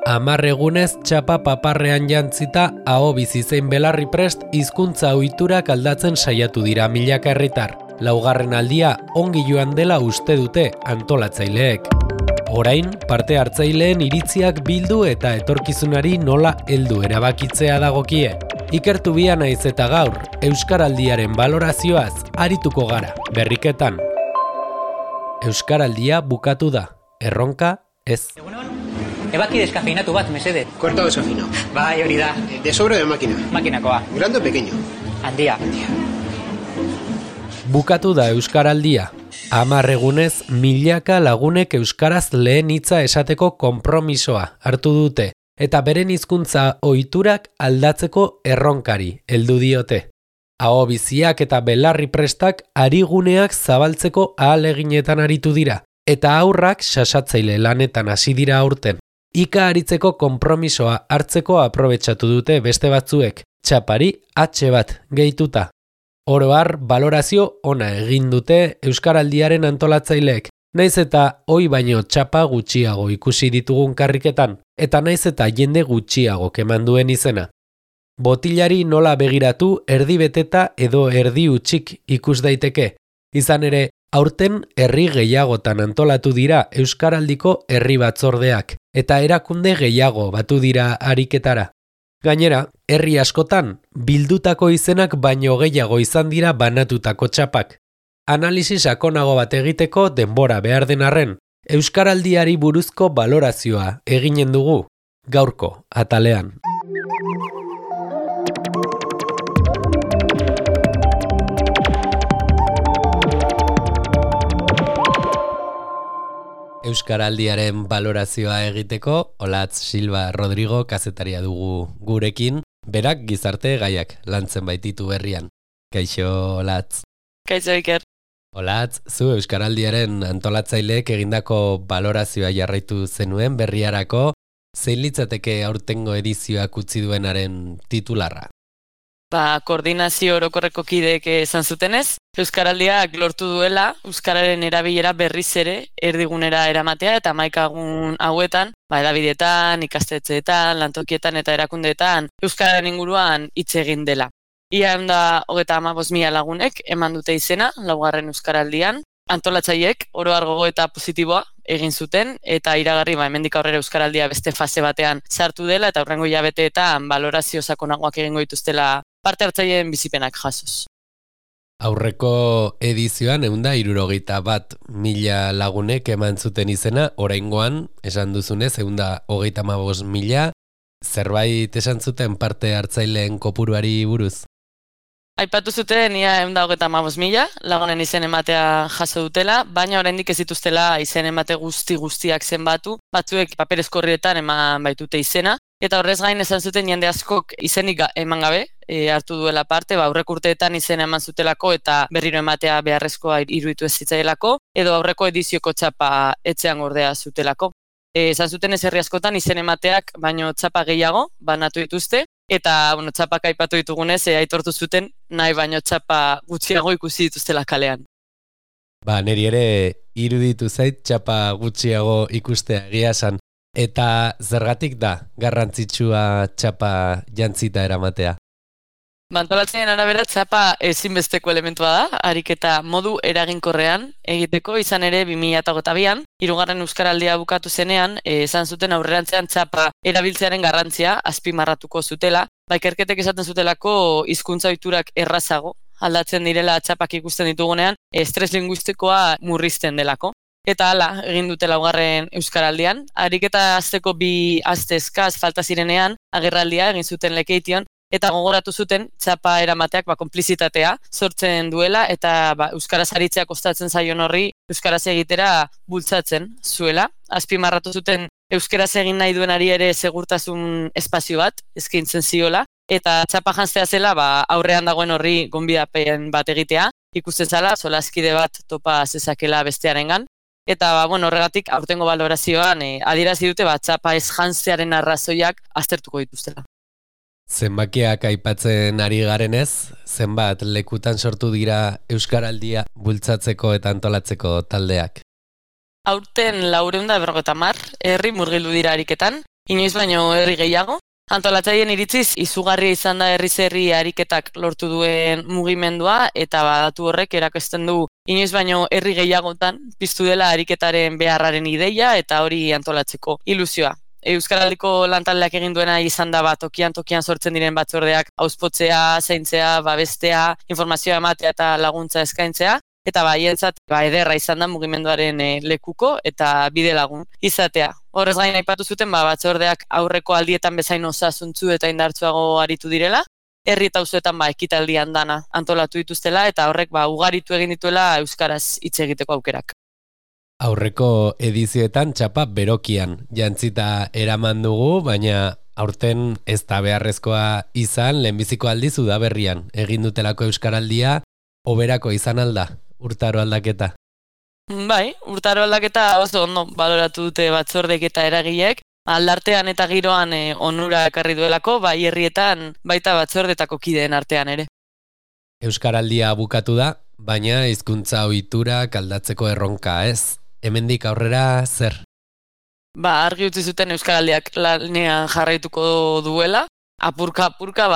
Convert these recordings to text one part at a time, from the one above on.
10 egunez txapa paparrean jantzita aho bizi zein belarri prest hizkuntza ohiturak aldatzen saiatu dira milaka herritar. Laugarren aldia ongi joan dela uste dute antolatzaileek. Orain, parte hartzaileen iritziak bildu eta etorkizunari nola heldu erabakitzea dagokie. Ikertu bia naiz eta gaur, Euskaraldiaren balorazioaz arituko gara, berriketan. Euskaraldia bukatu da, erronka ez. Ebaki deskafeinatu bat, mesede. Cortado desafino. Bai, hori da. De sobre de máquina. Makinakoa. ¿Grande o pequeño? Handia. Bukatu da Euskaraldia. 10 egunez milaka lagunek euskaraz lehen hitza esateko konpromisoa hartu dute eta beren hizkuntza ohiturak aldatzeko erronkari heldu diote. Aho biziak eta belarri prestak ariguneak zabaltzeko ahaleginetan aritu dira eta haurrak sasatzaile lanetan hasi dira aurten. Ika aritzeko konpromisoa hartzeko aprobetxatu dute beste batzuek, txapari atxe bat gehituta. Oro har, balorazio ona egin dute Euskaraldiaren antolatzaileek, naiz eta ohi baino txapa gutxiago ikusi ditugun karriketan, eta naiz eta jende gutxiago keman duen izena. Botilari nola begiratu erdi beteta edo erdi utxik ikus daiteke, izan ere, aurten herri gehiagotan antolatu dira Euskaraldiko herri batzordeak, eta erakunde gehiago batu dira ariketara. Gainera, herri askotan, bildutako izenak baino gehiago izan dira banatutako txapak. Analisi sakonago bat egiteko denbora behar den arren, Euskaraldiari buruzko balorazioa eginen dugu, gaurko atalean. Euskaraldiaren balorazioa egiteko, Olatz Silva Rodrigo kazetaria dugu gurekin, berak gizarte gaiak lantzen baititu berrian. Kaixo, Olatz. Kaixo, Iker. Olatz, zu Euskaraldiaren antolatzaileek egindako balorazioa jarraitu zenuen berriarako, zein litzateke aurtengo edizioak utzi duenaren titularra? Koordinazio orokorreko kideek esan zutenez, Euskaraldiak lortu duela euskararen erabilera berriz ere erdigunera eramatea eta 11 egun hauetan, hedabideetan, ikastetxeetan, lantokietan eta erakundeetan euskararen inguruan hitz egin dela. Ia 135.000 lagunek eman dute izena, laugarren Euskaraldian, antolatzaileek oro har gogoeta positiboa egin zuten eta iragarri hemendik aurrera Euskaraldia beste fase batean sartu dela eta hurrengo hilabeteetan balorazio sakonagoak egingo dituztela parte hartzaileen bizipenak jasoz. Aurreko edizioan 161.000 lagunek eman zuten izena, oraingoan, esan duzunez, 135.000, zerbait esan zuten parte hartzaileen kopuruari buruz? Aipatu zuten ia 135.000 lagunen izen ematea jaso dutela, baina oraindik ez dituztela izen emate guztiak zenbatu, batzuek paperezko horrietan eman baitute izena, eta horrez gain esan zuten jende askok izenik eman gabe hartu duela parte, aurreko urteetan izena eman zutelako eta berriro ematea beharrezkoa iruditu ez zitzaielako, edo aurreko edizioko txapa etxean gordea zutelako. Esan zuten ez herri askotan izen emateak baino txapa gehiago banatu dituzte, eta txapak aipatu ditugunez aitortu zuten nahi baino txapa gutxiago ikusi dituztela kalean. Neri ere iruditu zait txapa gutxiago ikustea egia esan. Eta zergatik da garrantzitsua txapa jantzita eramatea? Antolatzaileen arabera txapa ezinbesteko elementua da, ariketa modu eraginkorrean egiteko, izan ere 2022an, 3. Euskaraldia bukatu zenean, esan zuten aurrerantzean txapa erabiltzearen garrantzia azpimarratuko zutela, ikerketek esaten zutelako hizkuntza ohiturak errazago aldatzen direla txapak ikusten ditugunean, estres linguistikoa murrizten delako. Eta hala, egin dute 2. Euskaraldian, ariketa hasteko 2 aste eskaz falta zirenean, agerraldia egin zuten Lekeition, eta gogoratu zuten txapa eramateak konplizitatea sortzen duela, eta euskaraz aritzea kostatzen zaion horri euskaraz egitera bultzatzen zuela. Azpimarratu zuten euskaraz egin nahi duenari ere segurtasun espazio bat eskaintzen ziola, eta txapa janztea zela aurrean dagoen horri gonbidapen bat egitea, ikusten zala, solaskide bat topa zezakela bestearengan. Eta horregatik aurtengo balorazioan adierazi dute txapa ez jantzearen arrazoiak aztertuko dituztela. Zenbakiak aipatzen ari garenez, zenbat lekutan sortu dira Euskaraldia bultzatzeko eta antolatzeko taldeak? Aurten 450 herri murgildu dira ariketan, inoiz baino herri gehiago. Antolatzaileen iritziz, izugarria izan da herriz herri ariketak lortu duen mugimendua, eta datu horrek erakusten du inoiz baino herri gehiagotan piztu dela ariketaren beharraren ideia eta hori antolatzeko ilusioa. Euskaraldiko lantaldeak egin duena izan da tokian sortzen diren batzordeak auzpotzea, zaintzea, babestea, informazioa ematea eta laguntza eskaintzea. Eta haientzat ederra izan da mugimenduaren lekuko eta bide lagun izatea. Horrez gain aipatu zuten batzordeak aurreko aldietan bezain osasuntsu eta indartsuago aritu direla, herri eta auzoetan ekitaldi andana antolatu dituztela eta horrek ugaritu egin dituela euskaraz hitz egiteko aukerak. Aurreko edizioetan txapa berokian jantzita eraman dugu, baina aurten ez da beharrezkoa izan lehenbiziko aldiz udaberrian egin dutelako euskaraldia hoberako izan alda. Urtaro aldaketa. Bai, urtaro aldaketa oso ondo baloratu dute batzordek eta eragileek. Aldartean eta giroan onura ekarri duelako, bai herrietan baita batzordetako kideen artean ere. Euskaraldia bukatu da, baina hizkuntza ohiturak aldatzeko erronka ez. Hemendik aurrera zer? Argi utzi zuten euskaraldiak lanean jarraituko duela. Apurka,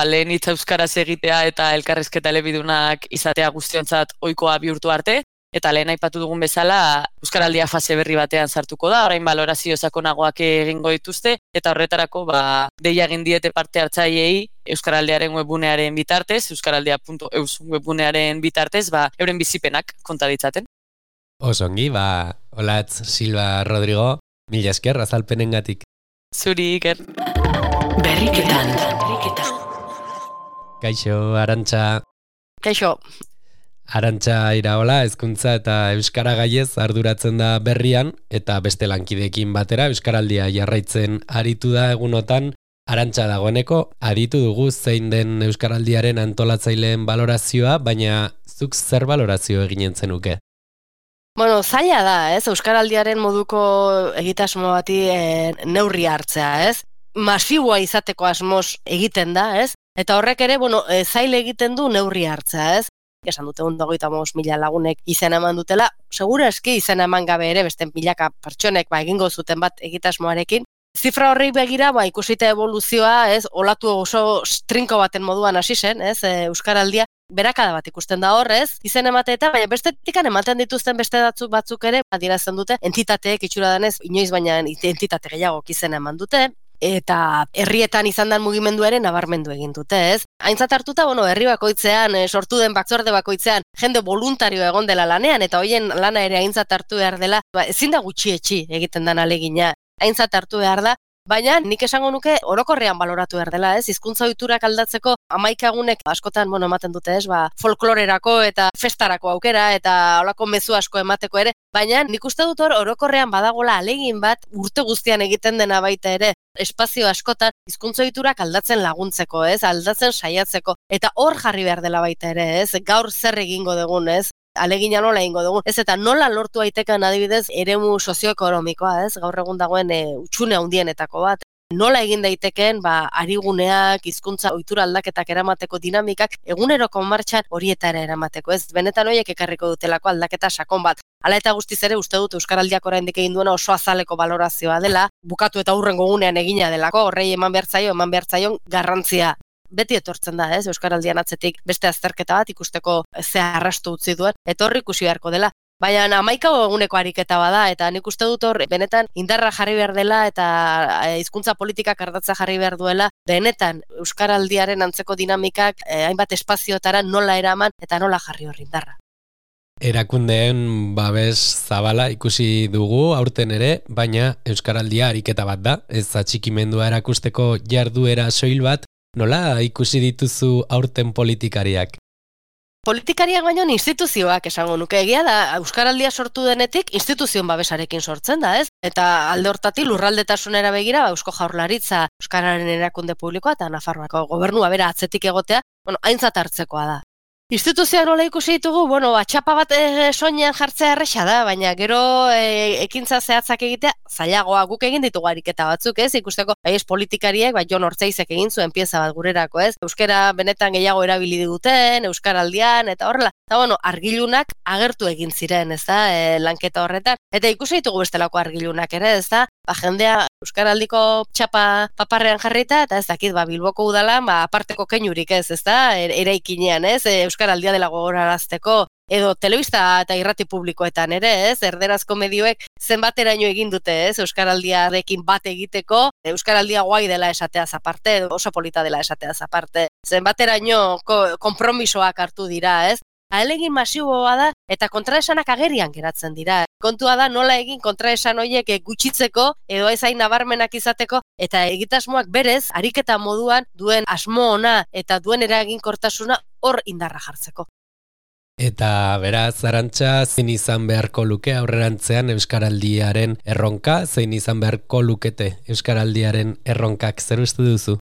lehen hitz euskaraz egitea eta elkarrizketa elebidunak izatea guztiontzat ohikoa bihurtu arte, eta lehen aipatu dugun bezala, euskaraldia fase berri batean sartuko da, orain balorazio sakonagoak egingo dituzte, eta horretarako deia egin diete parte hartzaileei euskaraldiaren webgunearen bitartez, euskaraldia.eus webgunearen bitartez, euren bizipenak konta ditzaten. Osongi, Olatz Silva Rodrigo, mila esker azalpenengatik. Zuri, Iker. Berriketan. Kaixo, Arantxa. Kaixo. Arantxa Iraola, hezkuntza eta euskara gaiez arduratzen da berrian, eta beste lankideekin batera euskaraldia jarraitzen aritu da egunotan. Arantxa, dagoeneko aditu dugu zein den euskaraldiaren antolatzaileen balorazioa, baina zuk zer balorazio eginen zenuke? Zaila da, euskaraldiaren moduko egitasmo bati neurri hartzea, masiboa izateko asmoz egiten da, eta horrek ere, zaila egiten du neurri hartzea, Esan dute 125.000 lagunek izena eman dutela, segura eski izena eman gabe ere, beste milaka pertsonek egingo zuten bat egitasmoarekin. Zifra horri begira, ikusita evoluzioa, olatu oso trinko baten moduan hasi zen, euskaraldia, berakada bat ikusten da horrez, izen emateeta, baina bestetikan ematen dituzten beste batzuk ere, adierazten dute, entitateek itxura denez, inoiz baina entitate gehiagok izena eman dute, eta herrietan izan den mugimenduaren nabarmendu egin dute, Aintzat hartuta, herri bakoitzean, sortu den batzorde bakoitzean, jende voluntario egon dela lanean, eta hoien lana ere aintzat hartu behar dela, ezin da gutxietxi egiten den alegina, aintzat hartu behar da, baina nik esango nuke orokorrean baloratu behar dela, hizkuntza ohiturak aldatzeko 11 egunek askotan ematen dute, folklorerako eta festarako aukera eta holako mezu asko emateko ere, baina nik uste dut orokorrean badagola alegin bat urte guztian egiten dena baita ere, espazio askotan hizkuntza ohiturak aldatzen laguntzeko, aldatzen saiatzeko, eta hor jarri behar dela baita ere, gaur zer egingo dugun, alegina nola egingo dugu. Eta nola lortu daiteken adibidez eremu sozioekonomikoa, gaur egun dagoen hutsune handienetako bat. Nola egin daiteken ariguneak, hizkuntza ohitura aldaketak eramateko dinamikak eguneroko martxan horietara eramateko, benetan horiek ekarriko dutelako aldaketa sakon bat. Hala eta guztiz ere uste dut euskaraldiak oraindik egin duena oso azaleko balorazioa dela, bukatu eta hurrengo egunean egina delako, horrei eman behar zaion garrantzia. Beti etortzen da, euskaraldian atzetik beste azterketa bat ikusteko ze arrastu utzi duen, eta horri ikusi beharko dela. Baina 11 eguneko ariketa bada, eta nik uste dut hor benetan indarra jarri behar dela eta hizkuntza politikak ardatza jarri behar duela, benetan euskaraldiaren antzeko dinamikak hainbat espaziotara nola eraman eta nola jarri hor indarra. Erakundeen babes zabala ikusi dugu aurten ere, baina euskaraldia ariketa bat da, ez atxikimendua erakusteko jarduera soil bat. Nola ikusi dituzu aurten politikariak? Politikariak baino instituzioak esango nuke, egia da euskaraldia sortu denetik instituzioen babesarekin sortzen da, Eta alde hortatik lurraldetasunera begira, Eusko Jaurlaritza, Euskararen erakunde publikoa eta Nafarroako gobernua bera atzetik egotea, aintzat hartzekoa da. Instituzioak nola ikusi ditugu, txapa bat soinean jartzea erresa da, baina gero ekintza zehatzak egitea, zailagoa guk egin ditugu ariketa batzuk, ikusteko, politikariek, Jon Ortzeizek egin zuen pieza bat gurerako, Euskara benetan gehiago erabili duten, euskaraldian, eta horrela, eta argilunak agertu egin ziren, lanketa horretan, eta ikusi ditugu bestelako argilunak ere, jendea Euskaraldiko txapa paparrean jarrita, eta ez dakit, Bilboko udalan, aparteko keinurik ez da, eraikinean, ez, Euskaraldia dela gogorarazteko, edo telebista eta irrati publikoetan ere, ez, erderazko medioek zenbateraino egin dute, ez, Euskaraldiarekin bat egiteko, Euskaraldia guai dela esateaz aparte, oso polita dela esateaz aparte, zenbateraino konpromisoak hartu dira, ez, ahalegin masiboa da eta kontraesanak agerian geratzen dira. Kontua da nola egin kontraesan horiek gutxitzeko edo ez hain nabarmenak izateko eta egitasmoak berez ariketa moduan duen asmo ona eta duen eraginkortasuna hor indarra jartzeko. Eta beraz, Arantxa, zein izan beharko luke aurrerantzean Euskaraldiaren erronka, zein izan beharko lukete Euskaraldiaren erronkak, zer uste duzu?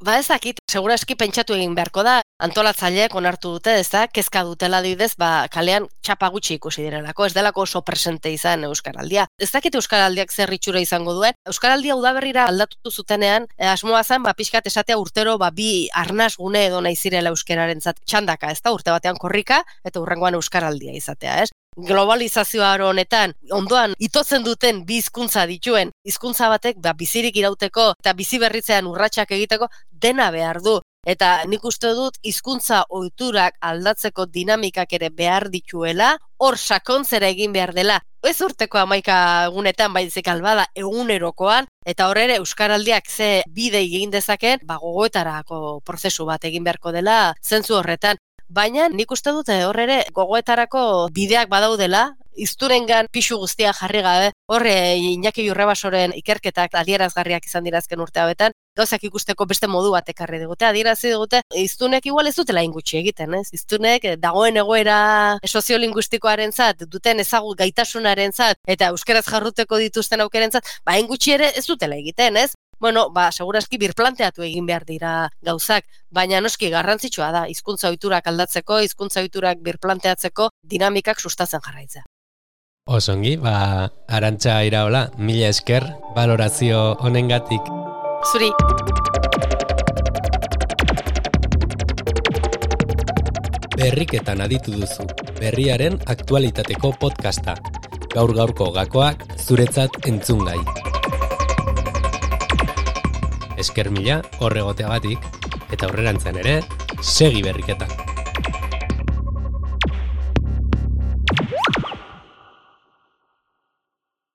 Ez dakit, seguraski pentsatu egin beharko da, antolatzaileek onartu dute, ez da, kezka dutela adibidez, kalean txapa gutxi ikusi direlako, ez delako oso presente izan Euskaraldia. Ez dakit Euskaraldiak zer itxura izango duen, Euskaraldia udaberrira aldatu zutenean, asmoa zen, pixkat esatea urtero, bi arnas gune edo nahi zirela euskararentzat txandaka, ez da, urte batean korrika, eta hurrengoan Euskaraldia izatea, ez? Globalizazioa honetan, ondoan itotzen duten bi hizkuntza dituen, hizkuntza batek bizirik irauteko eta bizi berritzean urratsak egiteko dena behar du. Eta nik uste dut hizkuntza ohiturak aldatzeko dinamikak ere behar dituela, hor sakontzera egin behar dela. Ez urteko 11 egunetan baizik albada egunerokoan, eta hor ere Euskaraldiak ze bide egin dezaken, gogoetarako prozesu bat egin beharko dela zentzu horretan. Baina nik uste dut hor ere gogoetarako bideak badaudela, hiztunengan pisu guztia jarri gabe, hor Iñaki Jurrebasoren ikerketak adierazgarriak izan dira azken urte hauetan, gauzak ikusteko beste modu bat ekarri digute, adierazi digute, hiztunek igual ez dutela ingutxi egiten, ez? Hiztunek dagoen egoera soziolingustikoarentzat, duten ezagut gaitasunarentzat eta euskaraz jarruteko dituzten aukerentzat, ingutxi ere ez dutela egiten, ez? Bueno, seguraski birplanteatu egin behar dira gauzak, baina noski garrantzitsua da, hizkuntza ohiturak aldatzeko, hizkuntza ohiturak birplanteatzeko dinamikak sustatzen jarraitzea. Osongi, Arantxa Iraola, mila esker, balorazio honengatik. Zuri. Berriketan aditu duzu, berriaren aktualitateko podcasta. Gaur-gaurko gakoak zuretzat entzungai. Esker mila horregoteagatik, eta aurrerantzean ere, segi berriketan.